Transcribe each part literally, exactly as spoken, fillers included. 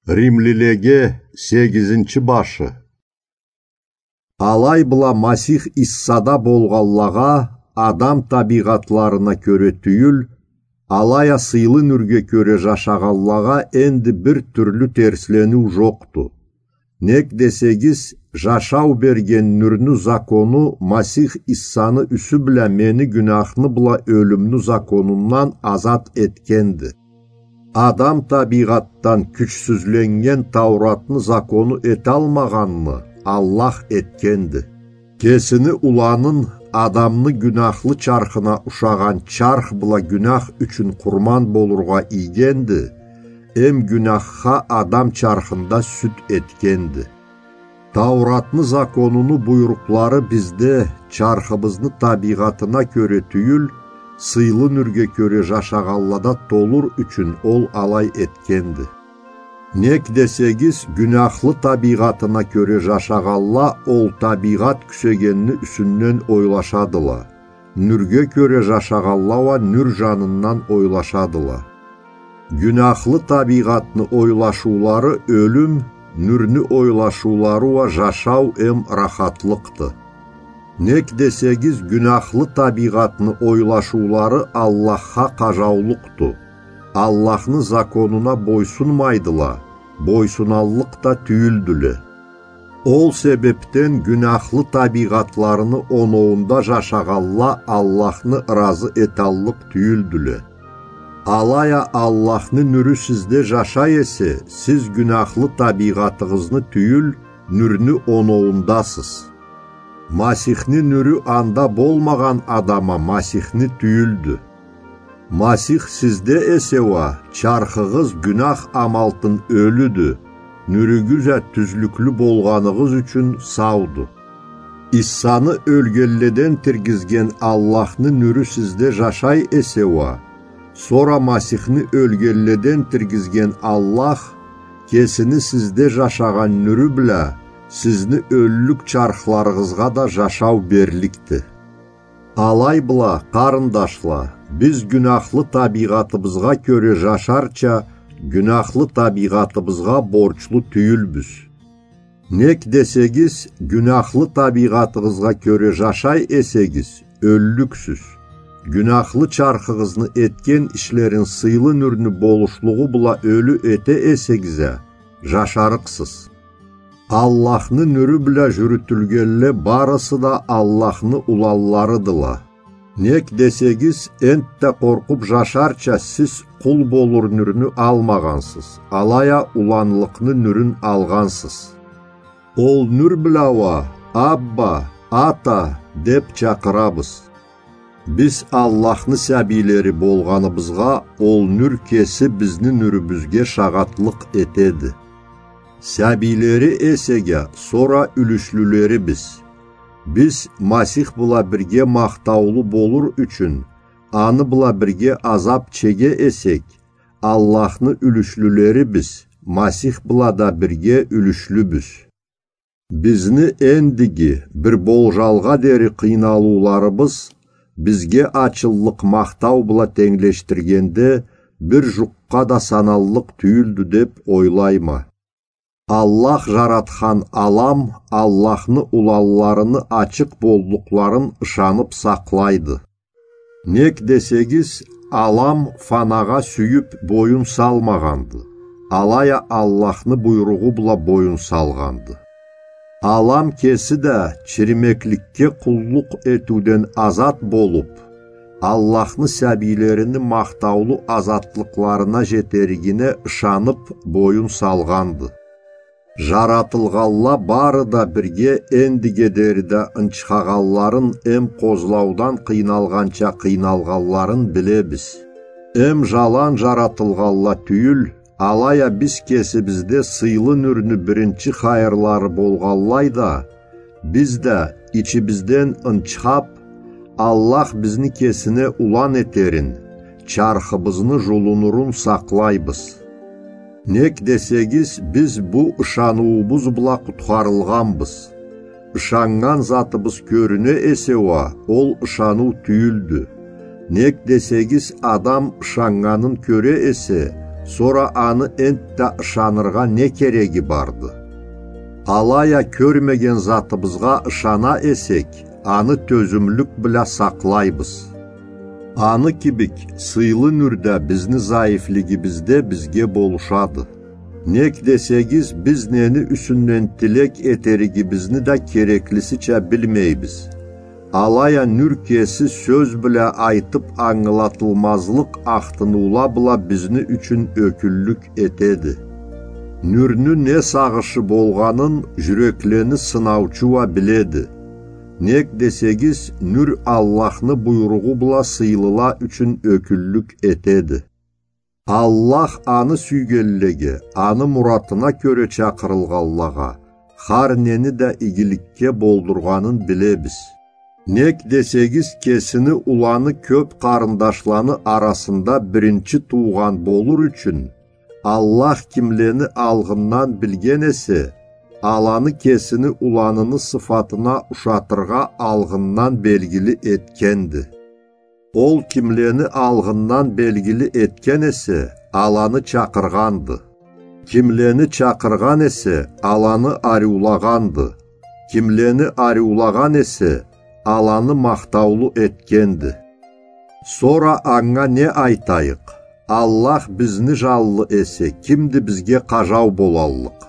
Римлилеге сегизинчи башы. Алай бла Масих Иссада болгъанлагъа, адам табийгъатларына кёре тюйюл, алай а сыйлы нюрге кёре жашагъанлагъа энди бир тюрлю терслениу жокъду. Нек десегиз, жашау берген нюрню закону Масих Иссаны юсю бла мени гюняхны бла ёлюмню законундан азат этгенди. Адам табийгъатдан кючсюзленнген Тауратны закону эталмагъанны Аллах этгенди. Кесини уланын, адамны гюняхлы чархына ушагъан чарх бла гюнях ючюн къурман болургъа ийгенди, эм гюняхха адам чархында сюд этгенди. Тауратны законуну буйрукълары бизде, чархыбызны табийгъатына кёре тюйюл, сыйлы нюрге кёре жашагъанлада толур ючюн ол алай этгенди. Нек десегиз, гюняхлы табийгъатына кёре жашагъанла ол табийгъат кюсегенни юсюнден ойлашадыла. Нюрге кёре жашагъанла уа нюр жанындан ойлашадыла. Гюняхлы табийгъатны ойлашыулары ёлюм, нюрню ойлашыулары уа жашау эм рахатлыкъды. Нек десегиз, гюняхлы табийгъатны ойлашыулары Аллахха къажаулукъду. Аллахны законуна бойсунмайдыла, бойсуналлыкъ да тюйюлдюле. Ол себепден гюняхлы табийгъатларыны оноуунда жашагъанла Аллахны ыразы эталлыкъ тюйюлдюле. Алай а Аллахны нюрю сизде жашай эсе, сиз гюняхлы табийгъатыгъызны тюйюл, нюрню оноуундасыз. Масихни нюрю анда болмагъан адам а Масихни тюйюлдю. Масих сизде эсе уа, чархыгъыз гюнях амалтын ёлюдю, нюрюгюз а тюзлюклю болгъаныгъыз ючюн сауду. Иссаны ёлгенледен тиргизген Аллахны нюрю сизде жашай эсе уа, сора Масихни ёлгенледен тиргизген Аллах кесини сизде жашагъан нюрю бла сизни ёллюк чархларыгъызгъа да жашау берликди. Алай бла, къарындашла, биз гюняхлы табийгъатыбызгъа кёре жашарча, гюняхлы табийгъатыбызгъа борчлу тюйюлбюз. Нек десегиз, гюняхлы табийгъатыгъызгъа кёре жашай эсегиз, ёллюксюз. Гюняхлы чархыгъызны этген ишлерин сыйлы нюрню болушлугъу бла ёлю эте эсегиз а, жашарыкъсыз. Аллахны нюрю бла жюрютюлгенле барысы да Аллахны уланларыдыла. Нек десегиз, энтда къоркъуп жашарча сиз къул болур нюрню алмагъансыз, алай а уланлыкъны нюрюн алгъансыз. Ол нюр бла уа: «Абба, Ата!» — деп чакъырабыз. Биз Аллахны сабийлери болгъаныбызгъа, ол нюр кеси бизни нюрюбюзге шагъатлыкъ этеди. Сабийлери эсеге, сора юлюшлюлерибиз. Биз Масих бла бирге махтаулу болур ючюн, аны бла бирге азап чеге эсек, Аллахны юлюшлюлерибиз, Масих бла да бирге юлюшлюбюз. Бизни эндиги бир болжалгъа дери къыйналыуларыбыз бизге ачыллыкъ махтау бла тенглешдиргенде бир жукъгъа да саналлыкъ тюйюлдю деп ойлайма. Аллах жаратхан алам Аллахны уланларыны ачыкъ боллукъларын ышанып сакълайды. Нек десегиз, алам фанагъа сюйюп боюн салмагъанды, алай а Аллахны буйругъу бла боюн салгъанды. Алам кеси да чиримекликге къуллукъ этиуден азат болуп, Аллахны сабийлерини махтаулу азатлыкъларына жетеригине ышанып боюн салгъанды. Жаратылгъанла бары да бирге эндиге дери да ынчхагъанларын эм къозлаудан къыйналгъанча къыйналгъанларын билебиз. Эм жалан жаратылгъанла тюйюл, алай а биз кесибизде сыйлы нюрню биринчи хайырлары болгъанлай да, биз да ичибизден ынчхап, Аллах бизни кесине улан этерин, чархыбызны жулунурун сакълайбыз. Нек десегиз, биз бу ышаныуубуз бла къутхарылгъанбыз. Ышаннган затыбыз кёрюне эсе уа, ол ышаныу тюйюлдю. Нек десегиз, адам ышаннганын кёре эсе, Сора аны энтда ышаныргъа не кереги барды? Алай а кёрмеген затыбызгъа ышана эсек, аны тёзюмлюк бла сакълайбыз. Аны кибик, сыйлы нюр да бизни зайифлигибизде бизге болушады. Нек десегиз, биз нени юсюнден тилек этеригибизни да кереклисича билмейбиз. Алай а нюр кеси сёз бла айтып ангылатылмазлыкъ ахтыныула бла бизни ючюн ёкюллюк этеди. Нюрню не сагъышы болгъанын жюреклени сынаучу уа биледи. Нек десегиз, нюр Аллахны буйругъу бла сыйлыла ючюн ёкюллюк этеди. Аллах аны сюйгенлеге, аны муратына кёре чакъырылгъанлагъа, хар нени да игиликге болдургъанын билебиз. Нек десегиз, кесини уланы кёп къарындашланы арасында биринчи туугъан болур ючюн, Аллах кимлени алгъындан билген эсе, аланы кесини уланыны сыфатына ушатыргъа алгъындан белгили этгенди. Ол кимлени алгъындан белгили этген эсе, аланы чакъыргъанды. Кимлени чакъыргъан эсе, аланы ариулагъанды. Кимлени ариулагъан эсе, аланы махтаулу этгенди. Сора анга не айтайыкъ? Аллах бизни жанлы эсе, кимди бизге къажау болаллыкъ?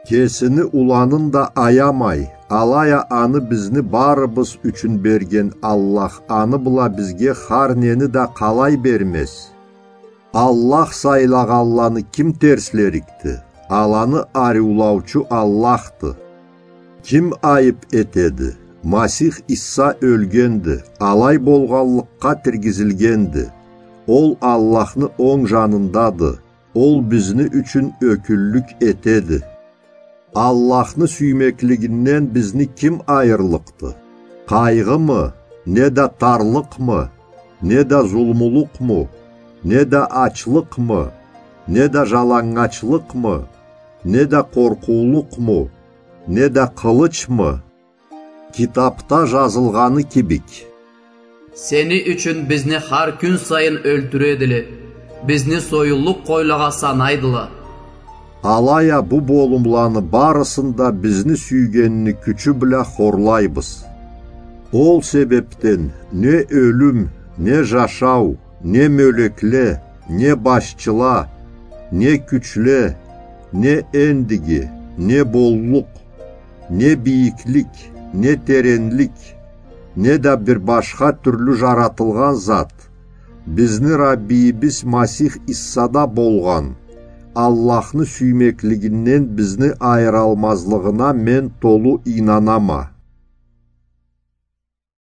Кесини уланын да аямай, алай а аны бизни барыбыз ючюн берген Аллах аны бла бизге хар нени да къалай бермез? Аллах сайлагъанланы ким терслерикди? Аланы ариулаучу Аллахды. Ким айып этеди? Масих Иса ёлгенди, алай болгъанлыкъгъа тиргизилгенди. Ол Аллахны онг жанындады. Ол бизни ючюн ёкюллюк этеди. Аллахны сюймеклигинден бизни ким айырлыкъды? Къайгъымы, не да тарлыкъмы, не да зулмулукъму, не да ачлыкъмы, не да жалангачлыкъмы, не да къоркъуулукъму, не да къылычмы? Китапда жазылгъаны кибик: «Сени ючюн бизни хар кюн сайын ёлтюредиле, бизни союллукъ къойлагъа санайдыла». Алай а бу болумланы барысын да бизни сюйгенини кючю бла хорлайбыз. Ол себепден не ёлюм, не жашау, не мёлекле, не башчыла, не кючле, не эндиги, не боллукъ, не бийиклик, не теренлик, не да бир башха тюрлю жаратылгъан зат, бизни Раббийибиз Масих Иссада болгъан Аллахны сюймеклигинден бизни айыралмазлыгъына мен толу ийнанама.